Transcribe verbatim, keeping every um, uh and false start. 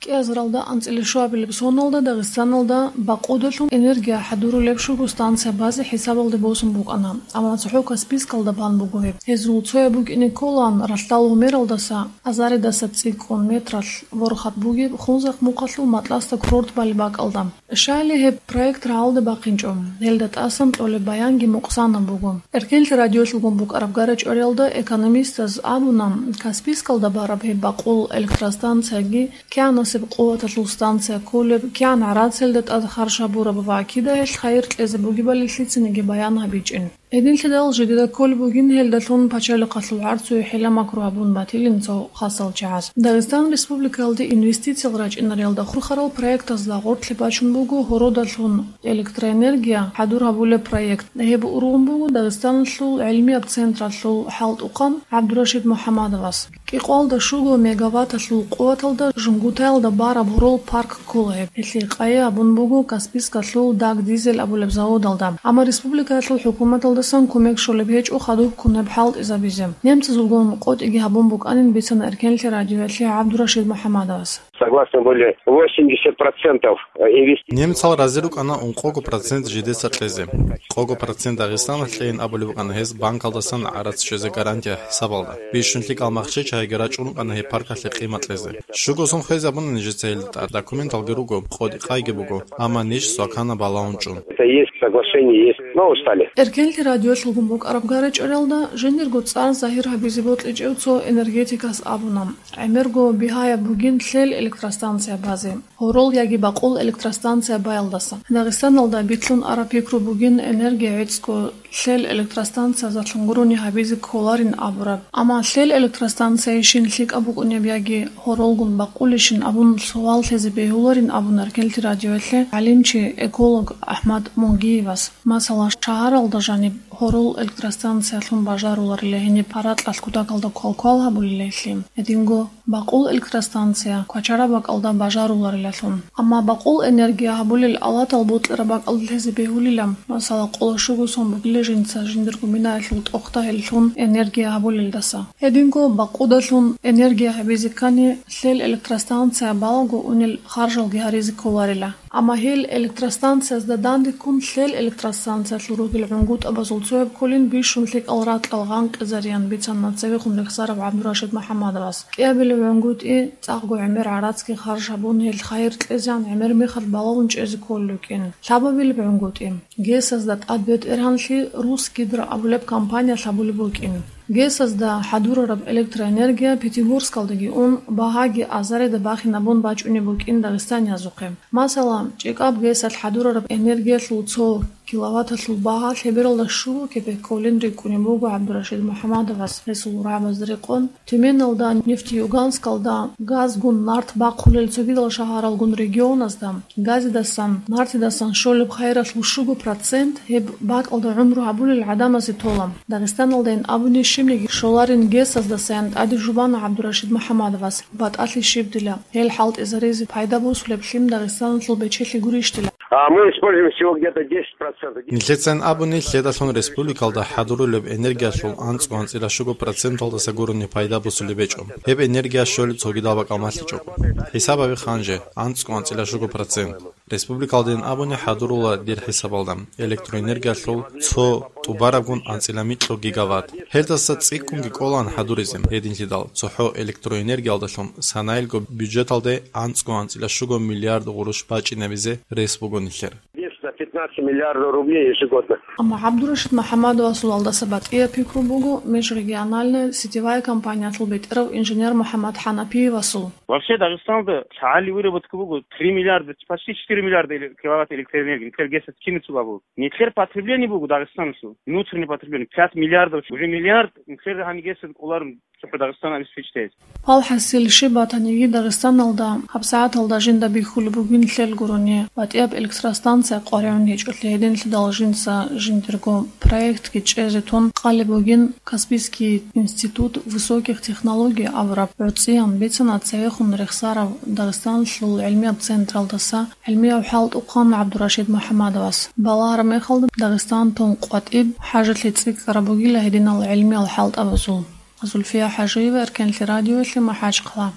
КӀиазаралда анцӀила щуабилеб соналда Дагъистаналда бакъудалъун энергия хӀадурулеб щуго станция базе хӀисабалде босун букӀана, амма цохӀо Каспийскалда бан буго гьеб. Гьезул цояб букӀине кколаан ралъдал гьумералдаса, азаридаса цӀикӀкӀун метралъ ворхат бугеб Хунзахъ мухъалъул Матласта курорт балеб бакӀалда. Щайли гьеб проект рагӀалде бахъинчӀо, гьелда тӀасан кьолеб баянги мукъсанаб буго. Эркенлъи радиолъулгун букӀараб гара-чӀвариялда экономистаз абуна, Каспийскалда бараб гьеб бакъул электростанцияги, кигӀанасеб къуваталъул станция кколеб, кигӀан гӀарацалда тӀад харж гьабураб ва кида гьелъ хайир кьезе бугебали лъицаниги баян гьабичӀин. Гьединлъидал жидеда кколеб бугин гьелдалъун пачалихъалъул гӀарцуе хӀила-макру гьабун батилин цо хасал чагӀаз. Дагъистан Республикалде инвестициял рачӀинариялда хурхарал проектазда гъоркье бачун буго гьородалъун электроэнергия хӀадур гьабулеб проект. Гьеб ургъун буго Дагъистаналъул гӀилмияб централъул хӀалтӀухъан ГӀабдурашид МухӀамадовас. КӀикъоялда щуго мегаватталъул къуваталда Жунгутаялда бараб гьорол парк ккола гьеб. Гьелъие къайи абун буго Каспийскалъул Даг Дизель абулеб заводалда. Амма республикаялъул хӀукуматалдасан кумек щолеб гьечӀо хадуб ккун гьеб хӀалтӀизабизе. Немцазулгун къотӀиги гьабун букӀанин бицана Эркенлъи радиоялъе ГӀабдурашид МухӀамадовас. Согласно были восемьдесят процентов инвестиций. Немцал рази рукӀана ункъого процент жидеца кьезе. Къого процент Дагъистаналъ кьейин абулеб букӀана гьез банкалдасан гӀарац щвезе гарантия хӀисабалда. Бищун лъикӀал махщел чагӀиги рачӀун рукӀана гьеб паркалъе къимат кьезе. Щуго сон хвезабуна нижеца гьелда тӀад, документалги руго, къотӀи-къайги буго, амма ниж свакана балагьун чӀун. Это есть, соглашение есть. Но устали. Эркенлъи радиолъулгун букӀараб гара-чӀвариялда жиндирго цӀар загьир гьабизе бокьичӀев цо энергетикас абуна, гӀемерго бигьаяб бугин лъел электростанция базе, гьорол яги бакъул электростанция баялдаса. Дагъистаналда битлъун араб пикру бугин энергия гӀицӀго лъел электростанциязалъун гурони гьабизе кколарин абураб. Амма лъел электростанциялъейищин лъикӀаб букӀунеб яги гьоролгун бакъулищин абун суал лъезе бегьуларин абуна Эркенлъи радиоялъе гӀалимчи, эколог АхӀмад Мунгиевас. Масала, шагьаралда жаниб гьорол электростанциялъун бажаруларила гьениб гьаракьалъ кутакалда квалквал гьабулила гьелъи. Гьединго бакъул электростанция квачараб бакӀалда бажаруларилалъун. Амма бакъул энергия гьабулел алатал бутӀараб бакӀалда лъезе бегьулила, масала, къоло щуго сон бугила жинца жиндирго минаялъул тӀохда гьеллъун энергия гьабулелдаса. Гьединго бакъудалъун энергия гьабизе ккани, лъел электростанция балаго унел харжалги гьаризе кколарила. Амма гьел электростанциязда дандеккун лъел электростанциялъул ругел гӀунгутӀабазул цояб кколин бищун лъикӀал ракьал гъанкъизариян бицана цевехун рехсарав ГӀабдурашид МухӀамадовас. КӀиабилеб гӀунгутӀи цӀакъго гӀемер гӀарацги харж гьабун, гьел хайир кьезеян гӀемер мехалъ балагьун чӀезе кколел рукӀин. Лъабабилеб гӀунгутӀи ГЭС-азда тӀад бетӀергьанлъи Русгидро абулеб компания лъабулеб букӀин. ГЭС-азда хӀадурараб электроэнергия Пятигорскалдаги ун, багьаги азарида бахинабун бачӀунеб букӀин дагъистаниязухъе. Масала, ЧӀикӀаб ГЭС-алъ хӀадурараб энергиялъул цо киловатталъул багьа лъебералда щуго кепек кколин рикӀкӀунеб буго ГӀабдурашид МухӀамадовас гьесул рагӀабазда рекъон. Тюменалда, Нефтеюганскалда газгун нарт бахъулел цогидал шагьаралгун регионазда газидасан, нартидасан щолеб хайиралъул щуго процент гьеб бакӀалда гӀумру гьабулел гӀадамазе тола. Дагъистаналдайин абуни щибниги щоларин ГЭС-аздасаян тӀаде жубана ГӀабдурашид МухӀамадовас, батӀалъи щиб дила, гьел хӀалтӀизаризе пайда босулеб лъим Дагъистаналъул бечелъи гурищ дила. А мы используем всего где-то десять процентов. Нилъецайин абуни, лъедалъун республикалда хӀадурулеб энергиялъул анцӀго анцӀила щуго проценталдаса гурони пайда босулеб гьечӀо. Гьеб энергия щолеб цогидал бакӀал малъичӀого. ХӀисабаби ханже, анцӀго анцӀила щуго процент. Республикалдайин абуни хӀадурула дир хӀисабалда электроэнергиялъул цо тӀубарабгун анцӀила микьго гигаватт. Гьелдаса цӀикӀкӀунги кӀолаан хӀадуризе, гьединлъидал цохӀо электроэнергиялдалъун санаилго бюджеталде анцӀго анцӀила щуго миллиард гъурущ бачӀинабизе рес буго нилъер. Десять на пятнадцать миллиардов рублей ежегодно. Амма ГӀабдурашид МухӀамадовасул алдаса батӀияб пикру буго межрегиональная сетевая компаниялъул бетӀерав инженер МухӀаммад ХӀанафиевасул. Вообще, Дагъистанда лъагӀалил выработка буго три миллиарда, почти четыре миллиарда эле-, киловатт электроэнергия, нилъер ГЭС-ас кинаб цо абу. Нилъер потребление буго Дагъистаналъул, внутреннее потребление, пять миллиардов, уже миллиард нилъер гьанигеса кӀоларун цохӀо Дагъистан обеспечить. Гьал хӀасил щиб батаниги, Дагъистаналда гьабсагӀаталда жинда бихьулеб бугин лъел гурони батӀияб электростанция къваригӀун гьечӀолъи, гьединлъидал жинца жиндирго проектги чӀезе тун къалеб бугин Каспийский институт высоких технологий абураб гӀорцӀиян бицана цевехун рехсарав Дагъистаналъул гӀилмияб централдаса гӀилмияв хӀалтӀухъан ГӀабдурашид МухӀамадовас. Балагьараб мехалда Дагъистан тун къватӀиб хӀажалъи цӀикӀкӀараб бугила гьединал гӀилмиял хӀалтӀабазул. Зульфия ХӀажиева, Эркенлъи радиоялъе, МахӀачхъала.